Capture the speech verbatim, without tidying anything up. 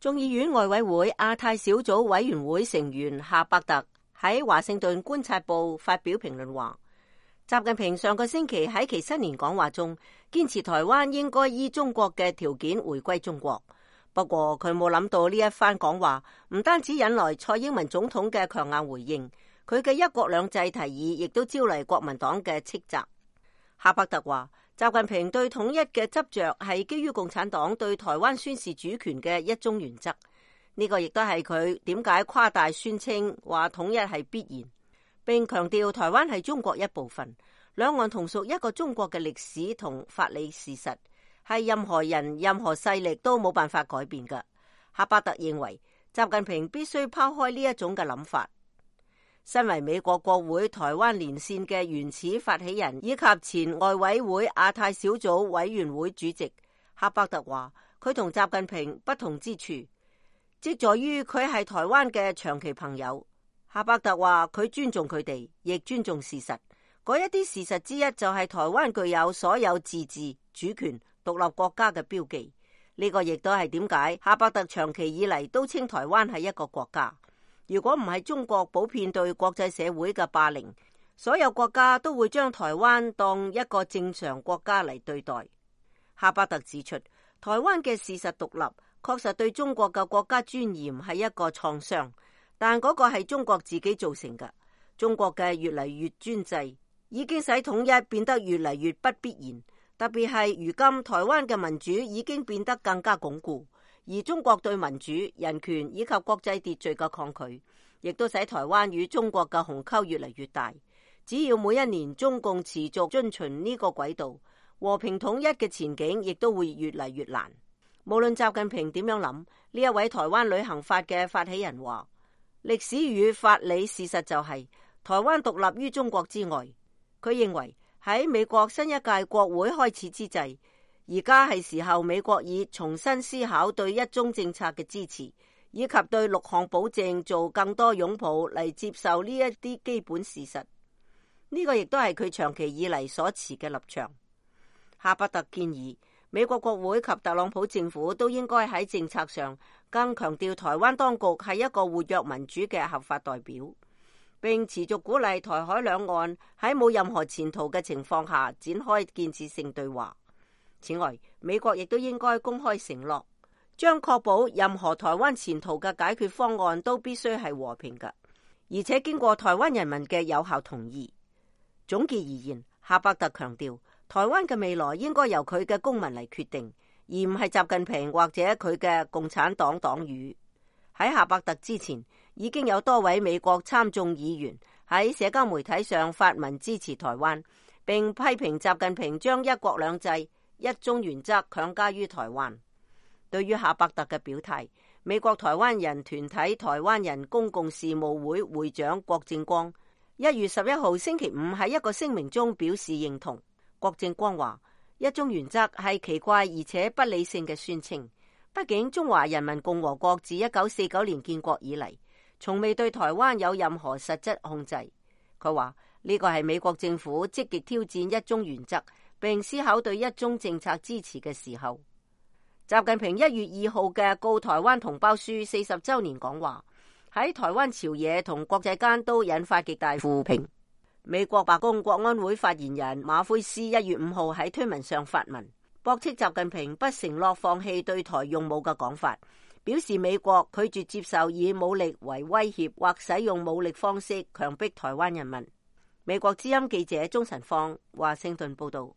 眾議院外委會亞太小組委員會成員夏伯特喺華盛頓觀察報發表評論話，習近平上個星期喺其新年講話中堅持台灣應該依中國嘅條件回歸中國。不過佢冇諗到呢一番講話唔單止引來蔡英文總統嘅強硬回應，佢嘅一國兩制提議亦都招嚟國民黨嘅斥責。夏伯特話，習近平對統一嘅執着係基於共產黨對台灣宣示主權嘅一中原則，呢個亦都係佢點解誇大宣稱話統一係必然，並強調台灣係中國一部分，兩岸同屬一個中國嘅歷史同法理事實，係任何人任何勢力都冇辦法改變嘅。夏伯特認為習近平必須拋開呢一種嘅諗法。身為美國國會台灣連線嘅原始發起人以及前外委會亞太小組委員會主席，夏伯特話佢同習近平不同之處即在於佢係台灣嘅長期朋友。夏伯特話佢尊重佢哋，亦尊重事實。嗰一啲事實之一就係台灣具有所有自治、主權、獨立國家嘅標記。呢個亦都係點解夏伯特長期以嚟都稱台灣係一個國家。如果唔係中國普遍對國際社會嘅霸凌，所有國家都會將台灣當一個正常國家嚟對待。夏伯特指出，台灣嘅事實獨立確實對中國嘅國家尊嚴係一個創傷，但嗰個係中國自己造成嘅。中國嘅越嚟越專制已經使統一變得越嚟越不必然，特別係如今台灣嘅民主已經變得更加鞏固。而中國對民主、人權以及國際秩序嘅抗拒，亦都使台灣與中國嘅鴻溝越嚟越大。只要每一年中共持續遵循呢個軌道，和平統一嘅前景亦都會越嚟越難。無論習近平點樣諗，呢一位台灣旅行法嘅發起人話，歷史與法理事實就係、是、台灣獨立於中國之外。佢認為喺美國新一屆國會開始之際，而家係時候美國以重新思考對一中政策嘅支持，以及對六項保證做更多擁抱嚟接受呢一啲基本事實。呢、這個亦都係佢長期以嚟所持嘅立場。夏伯特建議美國國會及特朗普政府都應該喺政策上更強調台灣當局係一個活躍民主嘅合法代表，並持續鼓勵台海兩岸喺冇任何前途嘅情況下展開建設性對話。此外，美國亦都應該公開承諾，將確保任何台灣前途嘅解決方案都必須係和平嘅，而且經過台灣人民嘅有效同意。總結而言，夏伯特強調，台灣嘅未來應該由佢嘅公民嚟決定，而唔係習近平或者佢嘅共產黨黨羽。喺夏伯特之前，已經有多位美國參眾議員喺社交媒體上發文支持台灣，並批評習近平將一國兩制一中原則強加於台灣。對於夏伯特嘅表態，美國台灣人團體台灣人公共事務會會長郭正光一月十一號星期五喺一個聲明中表示認同。郭正光話：一中原則係奇怪而且不理性嘅宣稱，畢竟中華人民共和國自一九四九年建國以嚟，從未對台灣有任何實質控制。佢話呢個係美國政府積極挑戰一中原則，並思考對一中政策支持嘅時候。習近平一月二號嘅告台灣同胞書四十周年講話，喺台灣朝野同國際間都引發極大負評。美國白宮國安會發言人馬奎斯一月五號喺推文上發文，駁斥習近平不承諾放棄對台用武嘅講法，表示美國拒絕接受以武力為威脅或使用武力方式強迫台灣人民。美國之音記者鍾晨芳華盛頓報道。